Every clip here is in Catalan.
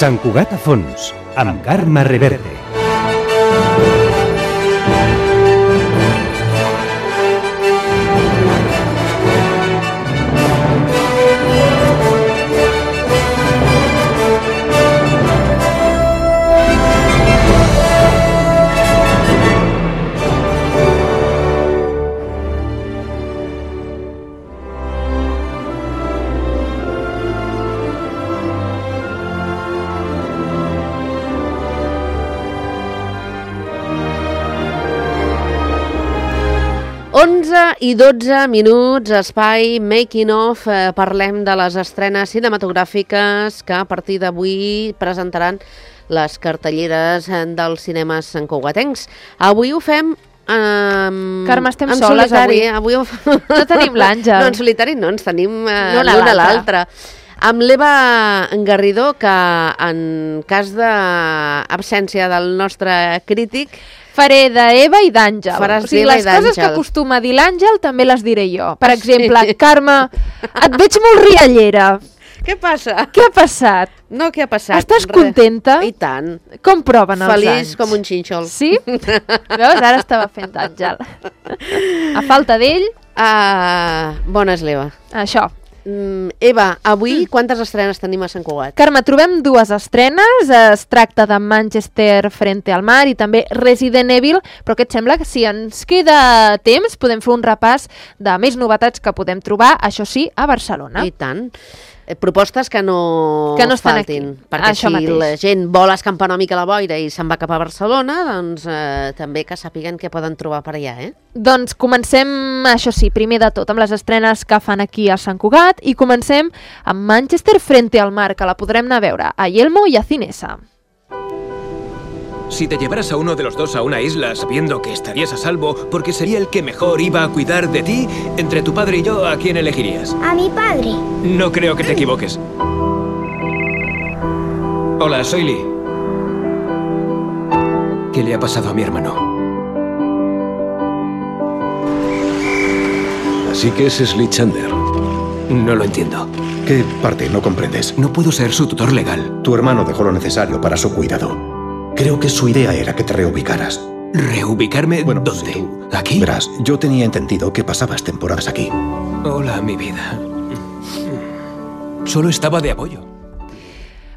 Sant Cugat a fons, amb Carme Reverte. I 12 minuts, espai Making of, parlem de les estrenes cinematogràfiques que a partir d'avui presentaran les cartelleres dels cinemes santcugatencs. Avui ho fem Carme, estem en soles solitari. avui. No tenim l'Àngel. No, en solitari no, ens tenim l'una a l'altra. Amb l'Eva Garridó, que en cas d'absència del nostre crític faré d'Eva i d'Àngel. Faràs o sigui, d'Eva i les coses d'Àngel. que acostuma a dir l'Àngel també les diré jo. Per exemple, Carme, et veig molt riallera. Què passa? Què ha passat? No, què ha passat? Estàs contenta? I tant. Com proven els anys? Feliç com un xínxol. Sí? Veus? Ara estava fent Àngel. A falta d'ell... Bona és l'Eva. Això. Eva, avui quantes estrenes tenim a Sant Cugat? Carme, trobem dues estrenes. Es tracta de Manchester frente al mar i també Resident Evil, però què et sembla que si ens queda temps podem fer un repàs de més novetats que podem trobar, això sí, a Barcelona. I tant. Propostes que no estan faltin, aquí. perquè Això si mateix. la gent vol escampar una mica la boira i se'n va cap a Barcelona, doncs també que sàpiguen què poden trobar per allà, Doncs comencem, això sí, primer de tot, amb les estrenes que fan aquí a Sant Cugat i comencem amb Manchester frente al mar, que la podrem anar a veure a Yelmo i a Cinesa. Si te llevaras a uno de los dos a una isla sabiendo que estarías a salvo porque sería el que mejor iba a cuidar de ti, entre tu padre y yo, ¿a quién elegirías? A mi padre. No creo que te equivoques. Hola, soy Lee. ¿Qué le ha pasado a mi hermano? Así que ese es Lee Chandler. No lo entiendo. ¿Qué parte no comprendes? No puedo ser su tutor legal. Tu hermano dejó lo necesario para su cuidado. Creo que su idea era que te reubicaras. ¿Reubicarme? Bueno, ¿dónde? si tú- ¿Aquí? Verás, yo tenía entendido que pasabas temporadas aquí. Hola, mi vida. Solo estaba de apoyo.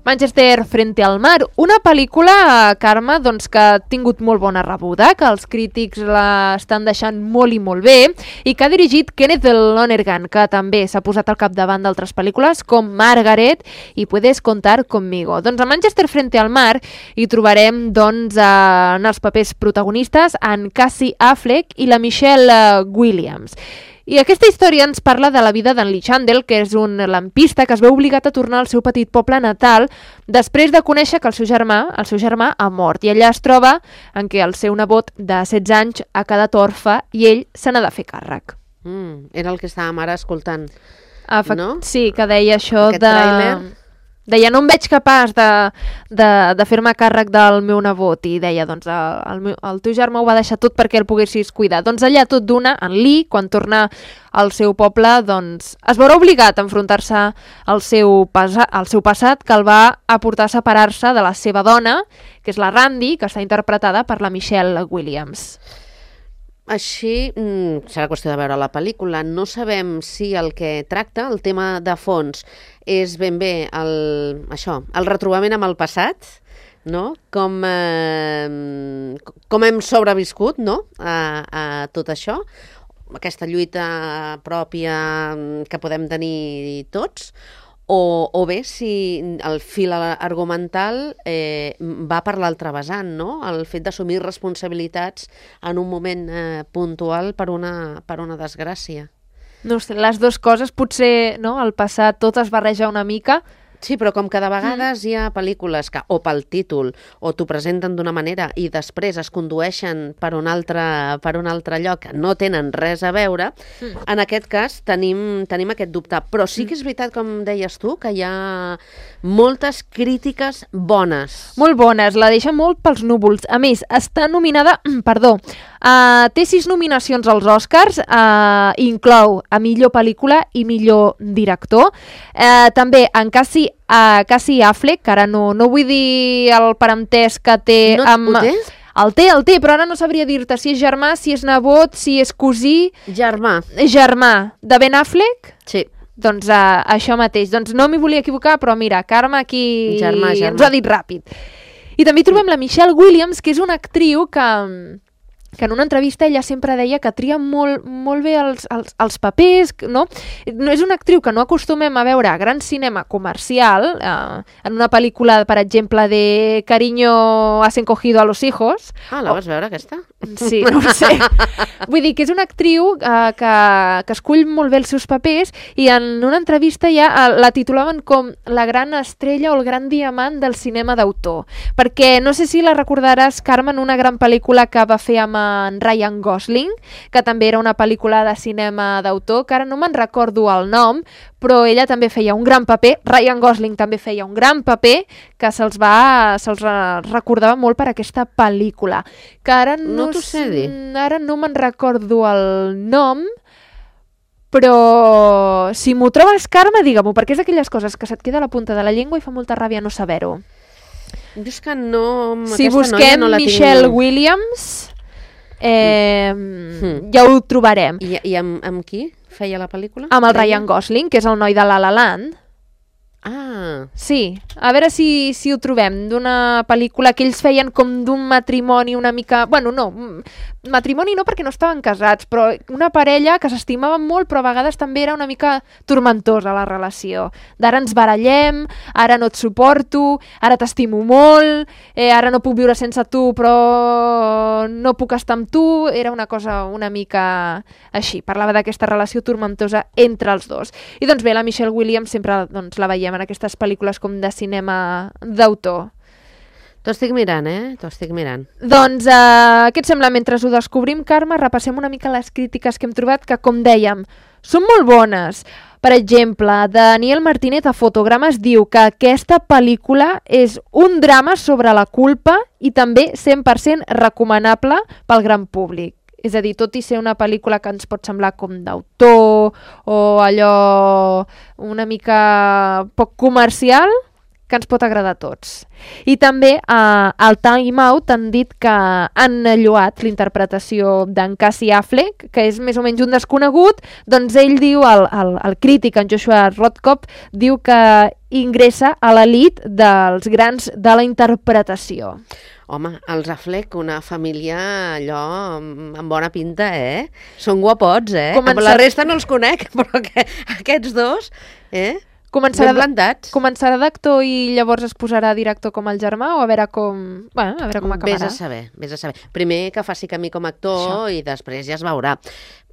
Manchester frente al mar, una pel·lícula, Carme, doncs, que ha tingut molt bona rebuda, que els crítics l'estan deixant molt i molt bé, i que ha dirigit Kenneth Lonergan, que també s'ha posat al capdavant d'altres pel·lícules com Margaret i Puedes contar conmigo. Doncs a Manchester frente al mar hi trobarem doncs, en els papers protagonistes en Cassie Affleck i la Michelle Williams. I aquesta història ens parla de la vida d'en Lee Chandler, que és un lampista que es veu obligat a tornar al seu petit poble natal després de conèixer que el seu germà ha mort. I allà es troba en què el seu nebot de 16 anys ha quedat orfe i ell se n'ha de fer càrrec. Era el que estàvem ara escoltant. No? Sí, que deia això Aquest tràiler. Deia, no em veig capaç de fer-me càrrec del meu nebot, i deia, doncs, el teu germà ho va deixar tot perquè el poguessis cuidar. Doncs allà tot d'una, en Lee, quan torna al seu poble, doncs es veurà obligat a enfrontar-se al seu passat, que el va a portar a separar-se de la seva dona, que és la Randy, que està interpretada per la Michelle Williams. Així, serà qüestió de veure la pel·lícula. No sabem si el que tracta, el tema de fons, és ben bé el retrobament amb el passat, no? Com hem sobreviscut, no? a tot això, aquesta lluita pròpia que podem tenir tots, o bé si el fil argumental va per l'altre vessant, no? El fet d'assumir responsabilitats en un moment puntual per una desgràcia. No sé, les dues coses, potser no, al passat tot es barreja una mica. Sí, però com que de vegades hi ha pel·lícules que o pel títol o t'ho presenten d'una manera i després es condueixen per un altre lloc que no tenen res a veure, en aquest cas tenim aquest dubte. Però sí que és veritat, com deies tu, que hi ha moltes crítiques bones. Molt bones, la deixa molt pels núvols. A més, està nominada, Té 6 nominacions als Oscars, inclou a millor pel·lícula i millor director. També en Casey Affleck, que ara no vull dir el parentesc que té No ho té? El té, però ara no sabria dir-te si és germà, si és nebot, si és cosí... Germà. Germà de Ben Affleck? Sí. Doncs això mateix. Doncs no m'hi volia equivocar, però mira, Carme aquí Germà. ens ho ha dit ràpid. I també trobem la Michelle Williams, que és una actriu que en una entrevista ella sempre deia que tria molt bé els papers, no? No és una actriu que no acostumem a veure a gran cinema comercial, en una pel·lícula, per exemple, de Cariño has encogido a los hijos. La vas veure, aquesta? Sí, no ho sé. Vull dir que és una actriu que escull molt bé els seus papers i en una entrevista ja la titulaven com la gran estrella o el gran diamant del cinema d'autor. Perquè no sé si la recordaràs, Carme, en una gran pel·lícula que va fer amb en Ryan Gosling, que també era una pel·lícula de cinema d'autor, que ara no me'n recordo el nom, però ella també feia un gran paper, Ryan Gosling també feia un gran paper, que se'ls recordava molt per aquesta pel·lícula. Que ara no t'ho sé dir. Ara no me'n recordo el nom, però si m'ho trobes, Carme, digue-m'ho, perquè és d'aquelles coses que se't queda a la punta de la llengua i fa molta ràbia no saber-ho. Dius que no... Si busquem Michelle Williams... ja ho trobarem. I amb qui feia la pel·lícula? Amb el Ryan Gosling, que és el noi de La La Land. Sí, a veure si ho trobem, d'una pel·lícula que ells feien com d'un matrimoni una mica... Bueno, no, matrimoni no perquè no estaven casats, però una parella que s'estimaven molt, però a vegades també era una mica tormentosa la relació. D'ara ens barallem, ara no et suporto, ara t'estimo molt, ara no puc viure sense tu, però no puc estar amb tu. Era una cosa una mica així, parlava d'aquesta relació tormentosa entre els dos. I doncs bé, la Michelle Williams sempre la veiem en aquestes pel·lícules com de cinema d'autor. T'ho estic mirant, T'ho estic mirant. Doncs, què et sembla? Mentre ho descobrim, Carme, repassem una mica les crítiques que hem trobat, que, com dèiem, són molt bones. Per exemple, Daniel Martínez a Fotogrames diu que aquesta pel·lícula és un drama sobre la culpa i també 100% recomanable pel gran públic. És a dir, tot i ser una pel·lícula que ens pot semblar com d'autor o allò una mica poc comercial, que ens pot agradar a tots. I també al Time Out han dit que han lloat l'interpretació d'en Casey Affleck, que és més o menys un desconegut, doncs ell diu, el crític, en Joshua Rodkop, diu que ingressa a l'elit dels grans de la interpretació. Home, els Affleck, una família allò amb bona pinta, Són guapots, La resta no els conec, però aquests dos, Començarà ben plantats. Començarà d'actor i llavors es posarà director com el germà o a veure com acabarà? Vés a saber. Primer que faci camí com a actor i després ja es veurà.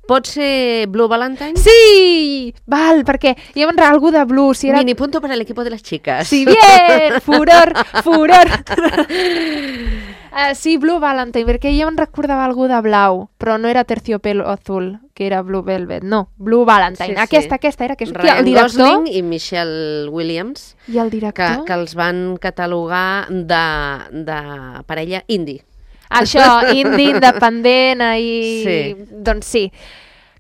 Pot ser Blue Valentine? Sí! Val, perquè hi ha algú de Blue. Si era... Mini punto para el equipo de las chicas. Sí, bien! Furor! Sí, Blue Valentine, perquè ja em recordava algú de blau, però no era Terciopelo Azul, que era Blue Velvet, no, Blue Valentine. Sí. Aquesta era, que és Ryan Gosling i Michelle Williams. I el director? Que els van catalogar de parella indie. Això, indie, independent, sí. Doncs sí.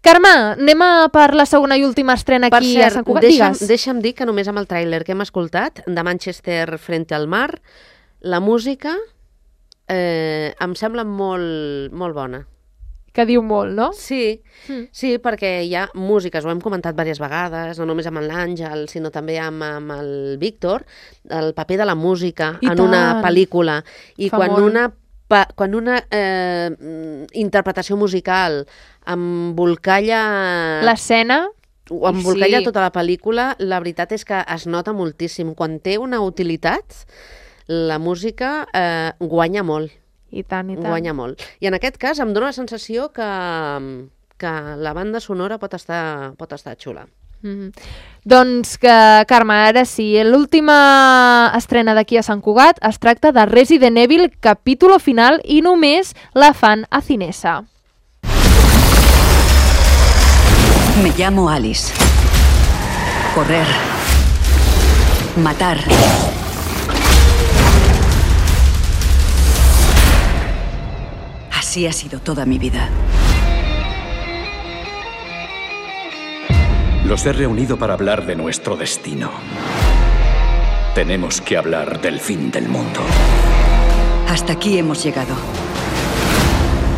Carme, anem per la segona i última estrena aquí a Sant Cugat. Deixa'm dir que només amb el tràiler que hem escoltat, de Manchester frente al mar, la música em sembla molt bona. Que diu molt, no? Sí, perquè hi ha músiques, ho hem comentat diverses vegades, no només amb l'Àngel, sinó també amb el Víctor, el paper de la música en una pel·lícula. I quan una interpretació musical embolcalla l'escena o embolcalla tota la pel·lícula, la veritat és que es nota moltíssim. Quan té una utilitat, la música guanya molt. I tant. Guanya molt. I en aquest cas em dóna la sensació que la banda sonora pot estar xula. Doncs, Carme, ara sí, l'última estrena d'aquí a Sant Cugat es tracta de Resident Evil capítulo final i només la fan a Cinesa. Me llamo Alice. Correr. Matar. Así ha sido toda mi vida. Los he reunido para hablar de nuestro destino. Tenemos que hablar del fin del mundo. Hasta aquí hemos llegado.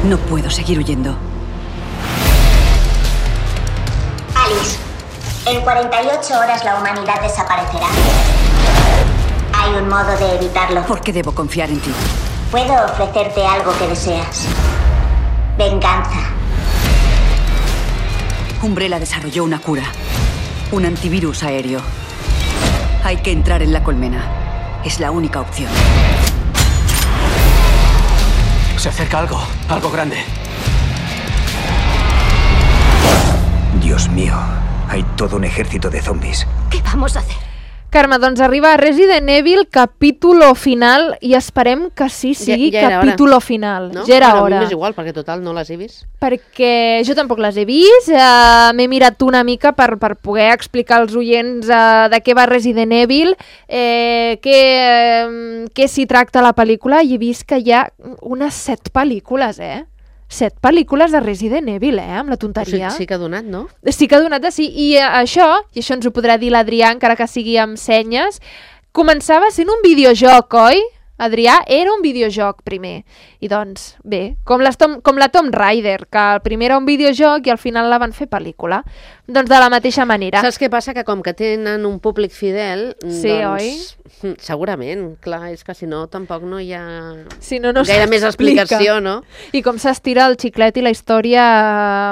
No puedo seguir huyendo. Alice, en 48 horas la humanidad desaparecerá. Hay un modo de evitarlo. ¿Por qué debo confiar en ti? Puedo ofrecerte algo que deseas. Venganza. Umbrella desarrolló una cura. Un antivirus aéreo. Hay que entrar en la colmena. Es la única opción. Se acerca algo grande. Dios mío, hay todo un ejército de zombies. ¿Qué vamos a hacer? Carme, doncs arriba Resident Evil capítulo final i esperem que sí sigui capítulo final. No? Ja era Però hora. a mi m'és igual, perquè total no les he vist. Perquè jo tampoc les he vist, m'he mirat una mica per poder explicar als oients de què va Resident Evil, què s'hi tracta la pel·lícula, i he vist que hi ha unes 7 pel·lícules, 7 pel·lícules de Resident Evil, amb la tonteria. Sí que ha donat, no? Sí que ha donat de sí. I això ens ho podrà dir l'Adrià, encara que sigui amb senyes, començava sent un videojoc, oi? Adrià, era un videojoc primer. I doncs, bé, com la Tomb Raider, que el primer era un videojoc i al final la van fer pel·lícula. Doncs de la mateixa manera. Saps què passa? Que com que tenen un públic fidel, sí, doncs... Oi? Segurament, clar, és que si no tampoc no hi ha no gaire més explicació, no? I com s'estira el xiclet i la història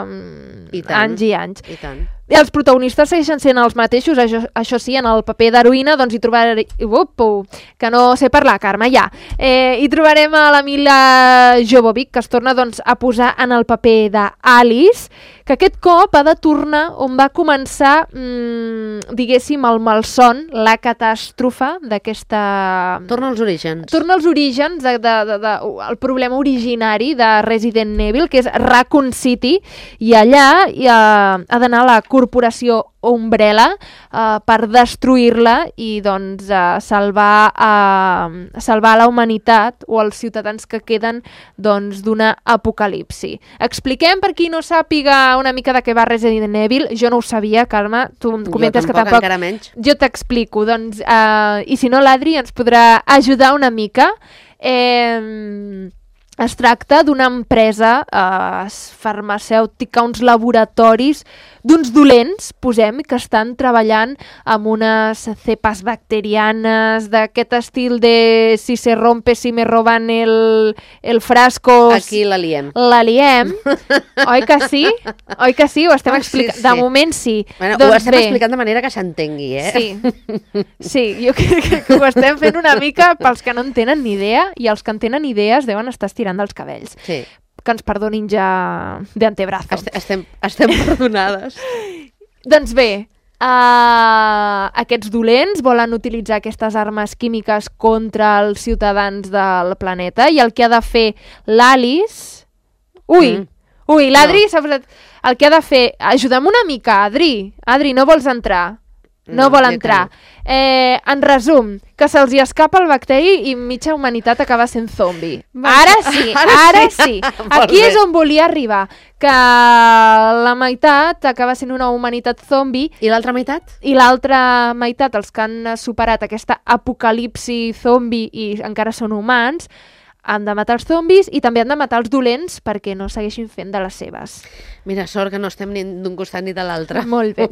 anys i anys. I tant. I els protagonistes segueixen sent els mateixos, això sí, en el paper d'heroïna doncs hi trobarem... que no sé parlar, Carme, ja. Hi trobarem a la Mila Jovovich, que es torna doncs, a posar en el paper d'Alice, que aquest cop ha de tornar on va començar, diguéssim, el malson, la catàstrofe d'aquesta... Torna als orígens. Torna als orígens del problema originari de Resident Evil, que és Raccoon City, i allà ha d'anar a la corporació Umbrella per destruir-la i doncs salvar la humanitat o els ciutadans que queden doncs d'una apocalipsi. Expliquem per qui no sàpiga una mica de què va Resident Evil. Jo no ho sabia, Carme, tu em comentes que tampoc. Encara menys. Jo t'explico, doncs, i si no l'Adri ens podrà ajudar una mica. Es tracta d'una empresa farmacèutica, uns laboratoris d'uns dolents, posem, que estan treballant amb unes cepes bacterianes d'aquest estil de si se rompe, si me roban el frasco... Aquí la liem. La liem. Oi que sí? Oi que sí? Ho estem explicant. Sí. De moment sí. Bueno, doncs ho estem explicant de manera que s'entengui, Sí, jo crec que ho estem fent una mica pels que no en tenen ni idea, i els que en tenen idees deuen estar estirant dels cabells. Sí. Que ens perdonin ja d'antebrazo. Estem perdonades. Doncs bé, aquests dolents volen utilitzar aquestes armes químiques contra els ciutadans del planeta, i el que ha de fer l'Alice... Ui, l'Adri s'ha posat... El que ha de fer... Ajuda'm una mica, Adri. Adri, no vols entrar? No vol entrar. En resum, que se'ls hi escapa el bacteri i mitja humanitat acaba sent zombi. Ara sí. Aquí és on volia arribar, que la meitat acaba sent una humanitat zombi. I l'altra meitat? I l'altra meitat, els que han superat aquesta apocalipsi zombi i encara són humans, han de matar els zombis i també han de matar els dolents perquè no segueixin fent de les seves. Mira, sort que no estem ni d'un costat ni de l'altre. Molt bé.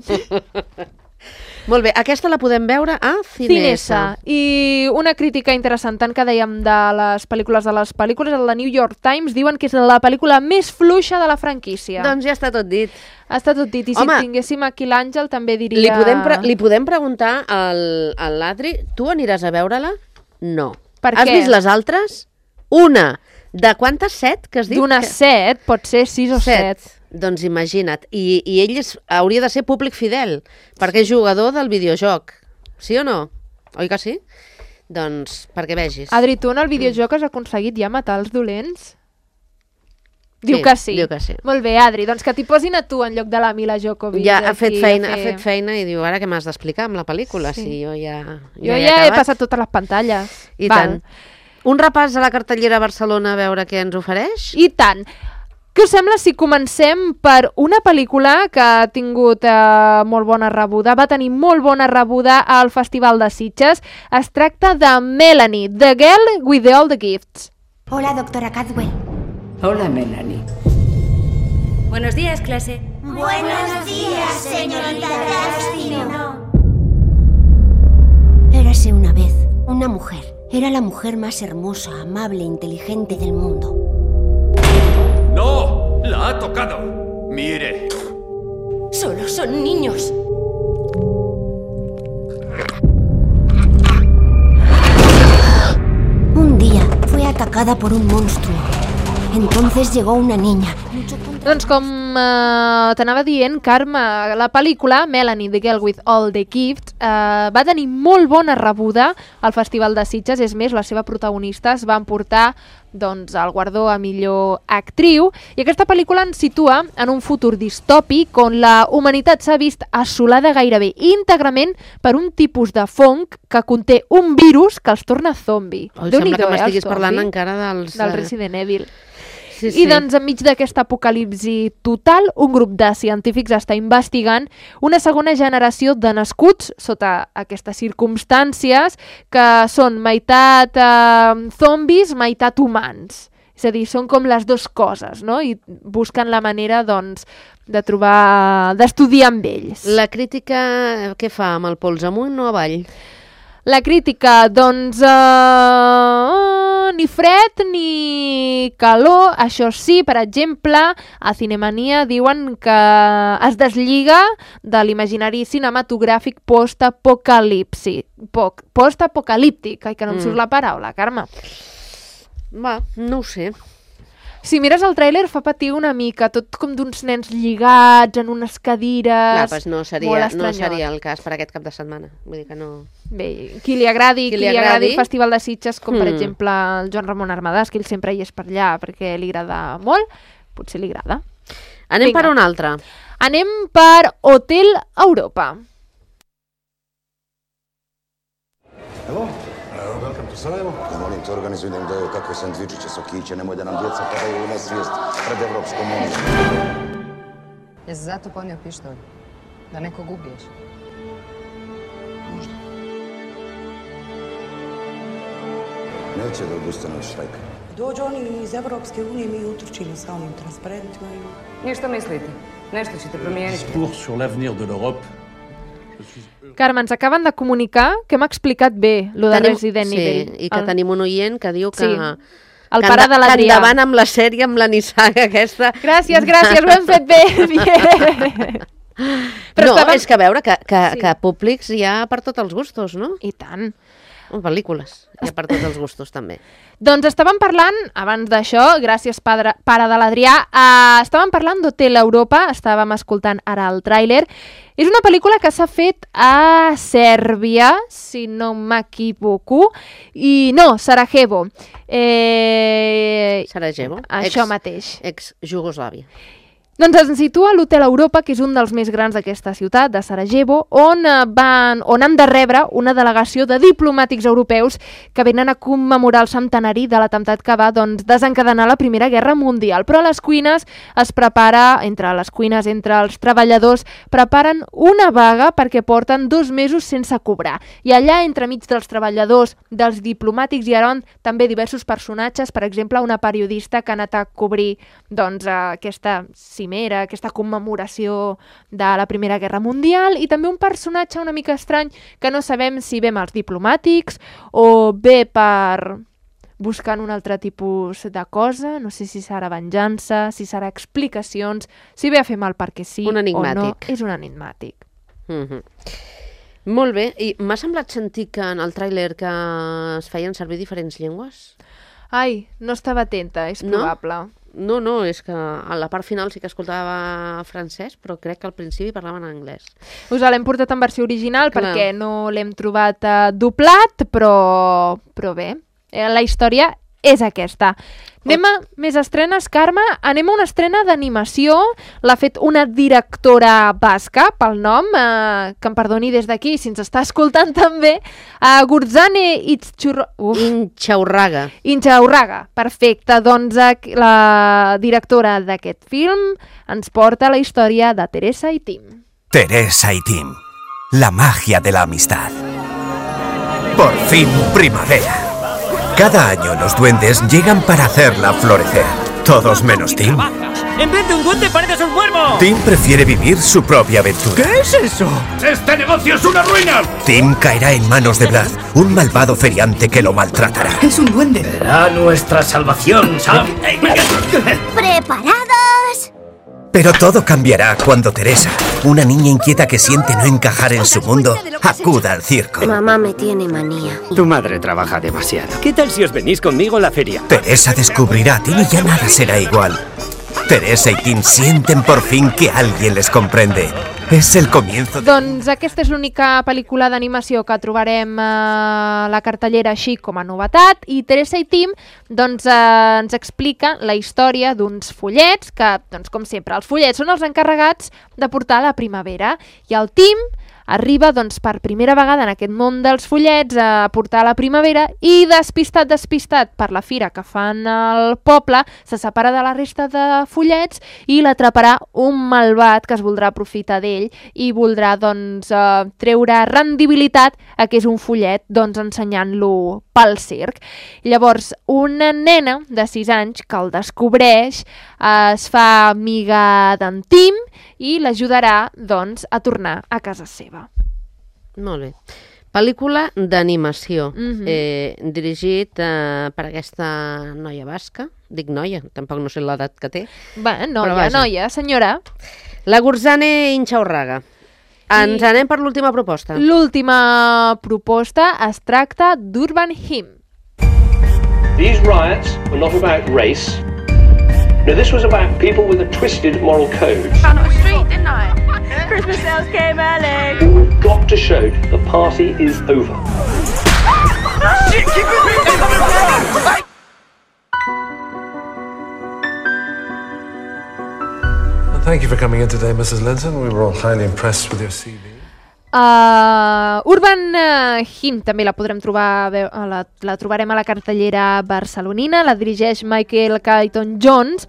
Molt bé, aquesta la podem veure a Cinesa. I una crítica interessant, tant que dèiem de les pel·lícules, el New York Times diuen que és la pel·lícula més fluixa de la franquícia. Doncs ja està tot dit. Està tot dit, i si tinguéssim aquí l'Àngel també diria... Li podem preguntar a l'Adri, tu aniràs a veure-la? No. Per què? Has vist les altres? Una. De quantes? 7, que has dit? D'unes 7, pot ser 6 o 7. Doncs imagina't. I ell hauria de ser públic fidel, perquè és jugador del videojoc. Sí o no? Oi que sí? Doncs perquè vegis. Adri, tu en el videojoc has aconseguit ja matar els dolents? Diu que sí. Diu que sí. Molt bé, Adri, doncs que t'hi posin a tu en lloc de la Mila Jovovich. Ja ha fet feina i diu, ara què m'has d'explicar amb la pel·lícula? Sí. Si jo ja he passat totes les pantalles. I tant. Un repàs a la cartellera a Barcelona a veure què ens ofereix? I tant. Què us sembla si comencem per una pel·lícula que ha tingut molt bona rebuda, va tenir molt bona rebuda al Festival de Sitges? Es tracta de Melanie, The Girl with All the Gifts. Hola, doctora Cadwell. Hola, Melanie. Buenos días, clase. Buenos días, señorita Destino. Érase una vez una mujer. Era la mujer más hermosa, amable e inteligente del mundo. ¡No! ¡La ha tocado! ¡Mire! Solo son niños. Un día fue atacada por un monstruo. Entonces llegó una niña. Doncs com t'anava dient, Carme, la pel·lícula Melanie, The Girl with All the Gifts va tenir molt bona rebuda al Festival de Sitges. És més, la seva protagonista es va emportar doncs, el guardó a millor actriu, i aquesta pel·lícula ens situa en un futur distòpic on la humanitat s'ha vist assolada gairebé íntegrament per un tipus de fong que conté un virus que els torna zombi. Sembla que m'estiguis parlant encara del Resident Evil. Sí. I doncs enmig d'aquesta apocalipsi total, un grup de científics està investigant una segona generació de nascuts sota aquestes circumstàncies que són meitat zombis, meitat humans. És a dir, són com les dues coses, no? I busquen la manera, doncs, de trobar, d'estudiar amb ells. La crítica què fa, amb el pols amunt o avall? La crítica, doncs, ni fred ni calor. Això sí, per exemple, a Cinemania diuen que es deslliga de l'imaginari cinematogràfic post-apocalíptic. Ai, que no em surt la paraula, Carme. Va, no ho sé. Si mires el tràiler fa patir una mica, tot com d'uns nens lligats en unes cadires. Clar, doncs no seria el cas per aquest cap de setmana. Vull dir que no... Bé, qui li agradi el Festival de Sitges, com per exemple el Joan Ramon Armadàs, que ell sempre hi és per allà perquè li agrada molt, potser li agrada. Anem per un altre. Anem per Hotel Europa. Hello? Welcome to Sarajevo. Ja molim te, organizuj nam daju kakve sandvičiće, sokiće, nemoj da nam djeca padaju u nesvijest pred Evropskom unijom. Jesi zato ponio pištolj? Da nekog ubiješ? Možda. Neće da odustane od štrajka. Dođu oni iz Evropske unije, mi utrčimo sa onim transparentima. I što mislite? Nešto ćete promijeniti? Discours sur l'avenir de l'Europe. Carme, ens acaben de comunicar que hem explicat bé lo de Resident Evil. Sí, i que tenim un oient que diu que... El pare de l'Adrià. Que endavant amb la sèrie, amb la nissaga aquesta. Gràcies, ho hem fet bé. No, és que a veure que públics hi ha per tots els gustos, no? I tant. Pel·lícules, hi ha per tots els gustos també. Doncs estàvem parlant, abans d'això, gràcies pare de l'Adrià, estàvem parlant d'Hotel Europa, estàvem escoltant ara el tràiler. És una pel·lícula que s'ha fet a Sèrbia, si no m'equivoco, i no, Sarajevo. Sarajevo, això mateix. Ex-Jugoslàvia. Doncs ens situa l'Hotel Europa, que és un dels més grans d'aquesta ciutat, de Sarajevo, on han de rebre una delegació de diplomàtics europeus que venen a commemorar el centenari de l'atemptat que va desencadenar la Primera Guerra Mundial. Però a les cuines entre els treballadors, preparen una vaga perquè porten 2 mesos sense cobrar. I allà, entremig dels treballadors, dels diplomàtics, hi ha també diversos personatges, per exemple, una periodista que ha anat a cobrir aquesta cimera, aquesta commemoració de la Primera Guerra Mundial, i també un personatge una mica estrany que no sabem si ve amb els diplomàtics o ve per buscant un altre tipus de cosa, no sé si serà venjança, si serà explicacions, si ve a fer mal perquè sí o no. És un enigmàtic. Molt bé, i m'ha semblat sentir que en el tràiler que es feien servir diferents llengües? Ai, no estava atenta, és probable. No, és que a la part final sí que escoltava francès, però crec que al principi parlaven anglès. Us l'hem portat en versió original perquè no l'hem trobat doblat, però bé. La història és aquesta. Anem a més estrenes, Carme. Anem a una estrena d'animació. L'ha fet una directora basca, pel nom, que em perdoni des d'aquí, si ens està escoltant també, Gurzane Intxaurraga. Intxaurraga, perfecte. Doncs la directora d'aquest film ens porta la història de Teresa i Tim. Teresa y Tim, la magia de la amistad. Por fin primavera. Cada año los duendes llegan para hacerla florecer. Todos menos Tim. ¡En vez de un duende pareces un cuervo! Tim prefiere vivir su propia aventura. ¿Qué es eso? ¡Este negocio es una ruina! Tim caerá en manos de Vlad, un malvado feriante que lo maltratará. Es un duende. Será nuestra salvación, Sam. ¡Preparados! Pero todo cambiará cuando Teresa, una niña inquieta que siente no encajar en su mundo, acuda al circo. Mamá me tiene manía. Tu madre trabaja demasiado. ¿Qué tal si os venís conmigo a la feria? Teresa descubrirá a Tim y ya nada será igual. Teresa i Tim sienten por fin que alguien les comprende. És el comienzo. Doncs aquesta és l'única pel·lícula d'animació que trobarem a la cartellera així com a novetat, i Teresa i Tim doncs, ens explica la història d'uns follets que, doncs, com sempre, els follets són els encarregats de portar la primavera, i el Tim arriba doncs, per primera vegada en aquest món dels follets a portar la primavera i despistat per la fira que fan al poble, se separa de la resta de follets i l'atraparà un malvat que es voldrà aprofitar d'ell i voldrà doncs, treure rendibilitat a que és un follet, doncs, ensenyant-lo pel circ. Llavors, una nena de 6 anys que el descobreix es fa amiga d'en Tim i l'ajudarà doncs, a tornar a casa seva. Molt bé. Pel·lícula d'animació, dirigit per aquesta noia basca. Dic noia, tampoc no sé l'edat que té. Bé, noia, senyora. La Gurzane Intxaurraga. Ens anem per l'última proposta. L'última proposta es tracta d'Urban Hymn. These riots were not about race. No, this was about people with a twisted moral code. Found on the street, didn't I? Christmas sales came early. We've got to show the party is over. Shit, keep it! Thank you for coming in today, Mrs. Linton. We were all highly impressed with your CV. Urban Hymn també la podrem trobar, la trobarem a la cartellera barcelonina, la dirigeix Michael Caton Jones.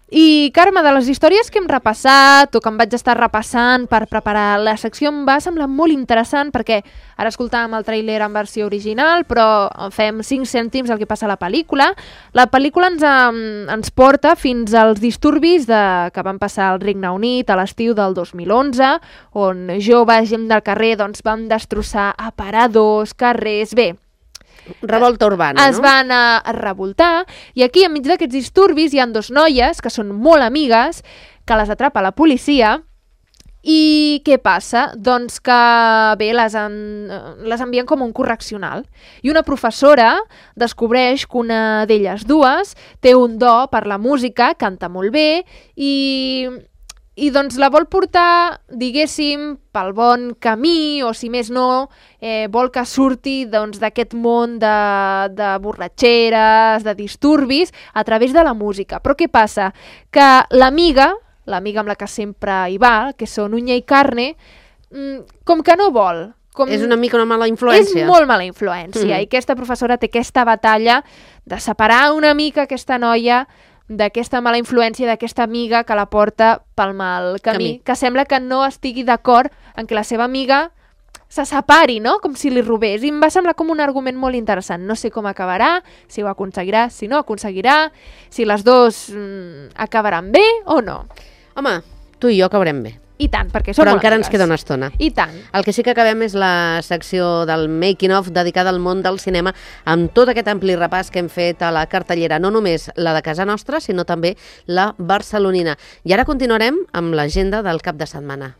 I, Carme, de les històries que hem repassat o que em vaig estar repassant per preparar la secció, em va semblar molt interessant perquè ara escoltàvem el tràiler en versió original, però fem 5 cèntims el que passa a la pel·lícula. La pel·lícula ens porta fins als disturbis que van passar al Regne Unit a l'estiu del 2011, on joves, gent del carrer, doncs, van destrossar aparadors, carrers... Bé, revolta urbana, es van a revoltar, i aquí, enmig d'aquests disturbis, hi ha 2 noies que són molt amigues, que les atrapa la policia, i què passa? Doncs que, bé, les envien com un correccional. I una professora descobreix que una d'elles dues té un do per la música, canta molt bé, i doncs la vol portar, diguéssim, pel bon camí, o si més no, vol que surti d'aquest món de borratxeres, de disturbis, a través de la música. Però què passa? Que l'amiga amb la que sempre hi va, que són unya i carne, com que no vol. És una mica una mala influència. És molt mala influència, i aquesta professora té aquesta batalla de separar una mica aquesta noia d'aquesta mala influència, d'aquesta amiga que la porta pel mal camí, que sembla que no estigui d'acord en que la seva amiga se separi, no? Com si li robés. I em va semblar com un argument molt interessant. No sé com acabarà, si ho aconseguirà, si no aconseguirà, si les dues acabaran bé o no. Home, tu i jo acabarem bé. I tant, perquè som Però molt encara amigues. ens queda una estona. I tant. El que sí que acabem és la secció del Making of dedicada al món del cinema, amb tot aquest ampli repàs que hem fet a la cartellera, no només la de casa nostra, sinó també la barcelonina. I ara continuarem amb l'agenda del cap de setmana.